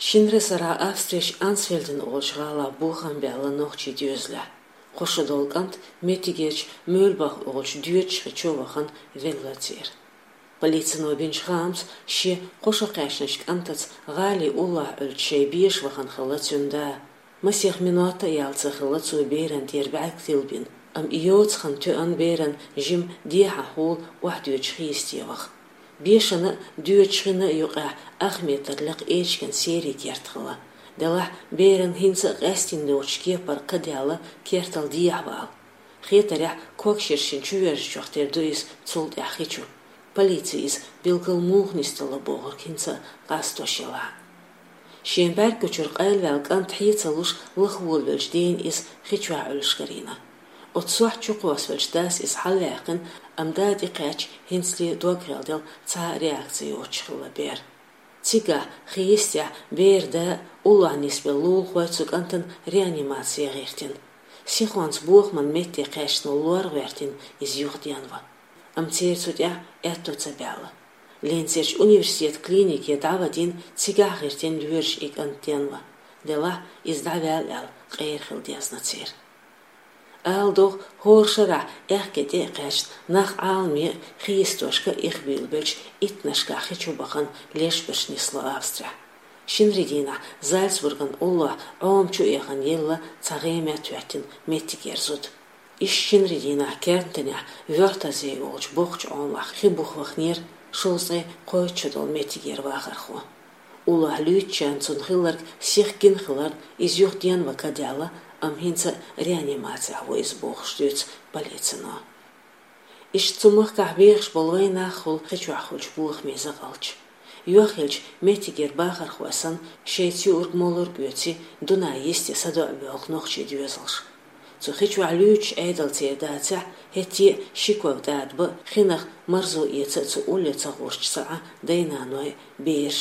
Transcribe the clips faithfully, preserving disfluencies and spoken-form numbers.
Шинарин сарахь Австрин Ансфельден олучу гӀалахь бохам баьлла нохчийн доьзалехь. Кхо шо долу кӀант меттигерчу Мёльбах олучу доьдучу хи чу вахана велла церан. Полицино бинчу хаамца, шен кхо шо кхаьчначу кӀантаца гӀалин уллохь Ӏуьллуш шайн беша вахана хилла цуьнан да. Масех минот а яьлла ца хилла цо беран тӀера бӀаьрг тилбина, амма и йоцу хан тоьъна беран жима дехьа хьула охьадоьдучу хи йисте ваха. Бешана а, доьдучу хина а юкъахь ах метр лекха эчиган серий керт хилла. Делахь, беран хӀинца а къаьстина доцучу кепара кхадаьлла кертал дехьавала. Хетарехь, ког шершина чувержачух тера ду иза цул тӀаьхьа хи чу. Полици иза билггал муха нисделла бохург хӀинца а къастош елахь а. Шен бӀаьрг гучуьра къайлаваьлла кӀант хье ца луш лаха волавелчу дийне иза хи чохь Ӏуьллуш карийна. Оцу сохьта чукхоссавеллачу дас иза хьалаваьккхина, амма да тӀекхаьчча, хӀинцале дог гӀелделла цхьа а реакци йоцуш хилла бер. Цигахь, хи йистехь, беран да а, уллохь нисбелла лулахой а цу кӀантана реанимаци гӀиртина. Сихонца бохаман метте кхаьчна лор гӀоьртина иза юхаденван. Амма церан цу тӀехь аьтто ца баьлла. Ленцерчу университетан клинике дӀавадийна, цигахь гӀиртина лоьраша и кӀант денван. Делахь, иза дӀаваьлла аьлла, къера хила дезна церан. Ала догӀу, хӀора шарахь аьхке тӀе а кхаьчна, нах Ӏаламе а, хи йистошка а ихбийлабеллачу иттаннашкахь хи чу бахана леш берш нисло Австрехь. Шинарин дийнахь Зальцбурган уллохь Ӏома чу а яхана елла цхьа гӀемет хӀоьттина меттигера зуда. Иштта шинарин дийнахь Кернтонехь Вёртазей олучу боккхачу Ӏомахь хи буха ваханера шовзткъе кхойтта шо долу меттигера вахархо. Уллохь луьйчченна цунна хилларг сиха гина хиларна, иза юхаденван кадаьлла, амма хӀинца а реанимацехь ву иза бохуш дуьйцу полицино. Иштта цу махкахь бехаш болу вайнаххула хи чохь хуьлучу бохаме закъалча. Йохъелча меттигера бахархой санна, шайца юург-молург оьций, Дунай йисте садоӀу боьлху нохчийн доьзалш. Цу хи чохь луьйчу Ӏедал церан дацахь, хӀетте а ши ког тӀадабан а, хинах марзо эца а цу улле ца гӀорташ ца Ӏа дай-наной а, бераш.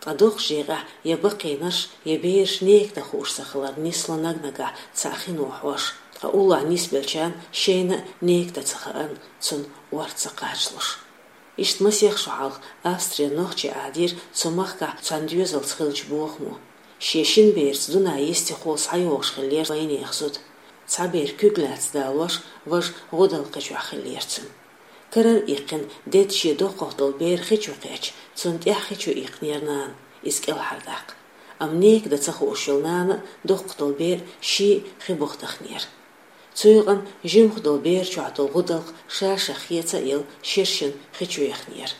Ткъа доккхачу декъехь я баккхийнарш, я бераш некадан хууш ца хиларна нисло наг-нагахь цхьаъ хино хьош, ткъа уллохь нисбеллачарна шайна а некадан ца хаарна цунна орца ца кхачалуш. Иштта масех шо хьалха Австрин нохчий Ӏадийра цу махкахь цхьана доьзалца хиллачу бохамо. Шен шина бераца Дунай йистехула схьайогӀуш хиллера вайнехан зуда. Цхьа бер куьг лаьцна далош, важа гӀудалкхи чохь хиллера цуьнан. Карара иккхина дедда шен доккхах долу бер хи чу кхаьчча, цунна тӀаьхьа хи чу иккхинера нана, иза кӀелхьардаккха. Амма некадан ца хууш йолу нана а, доккхах долу бер а ший хи буха даханера. Цу юкъана жимах долу бер чохь долу гӀудалкх ша-шех хеца а елла, шершина хи чу яханера.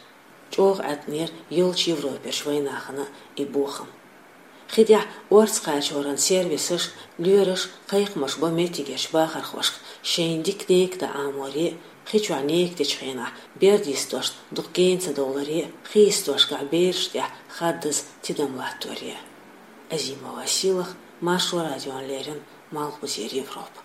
ЧӀогӀа Ӏаьттинера йолчу Европерчу вайнахана и бохам. Хи тӀехь орца кхачоран сервисаш, лоьраш кхайкхамаш бо меттигерчу бахархошка шайна дика некадан Ӏаморе а, хи чохь некадечу хенахь берд йистошна дукха гена ца довларе а, хи йистошкахь бераш тӀехь хаддаза тидам латторе а. Азимова Силах, Маршо радиона леррина, Малхбузера Европа.